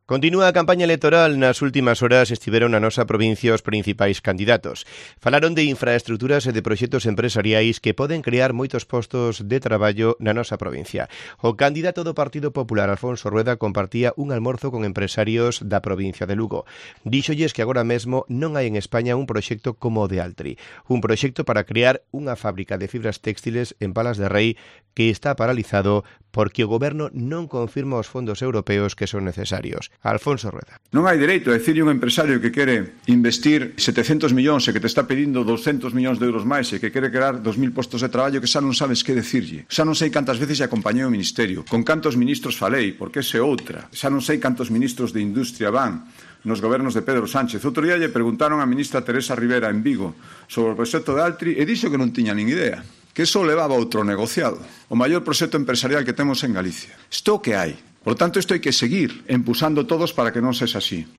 Continúa a campaña electoral. Nas últimas horas estiveron na nosa provincia os principais candidatos. Falaron de infraestruturas e de proxectos empresariais que poden crear moitos postos de traballo na nosa provincia. O candidato do Partido Popular, Alfonso Rueda, compartía un almorzo con empresarios da provincia de Lugo. Díxolles que agora mesmo non hai en España un proxecto como o de Altri. Un proxecto para crear unha fábrica de fibras téxtiles en Palas de Rei que está paralizado porque o goberno non confirma os fondos europeos que son necesarios. Alfonso Rueda. Non hai dereito a dicirlle un empresario que quere investir 700 millóns e que te está pedindo 200 millóns de euros máis e que quere crear 2.000 postos de traballo que xa non sabes que decirlle. Xa non sei cantas veces acompañei o Ministerio, con cantos ministros falei, porque ese outra. Xa non sei cantos ministros de Industria van nos gobernos de Pedro Sánchez. Outro día lle preguntaron a ministra Teresa Rivera en Vigo sobre o proxecto de Altri e dixo que non tiña nin idea, que eso levaba outro negociado, o maior proxecto empresarial que temos en Galicia. Isto que hai. Por tanto, isto hai que seguir empuzando todos para que non sexa así.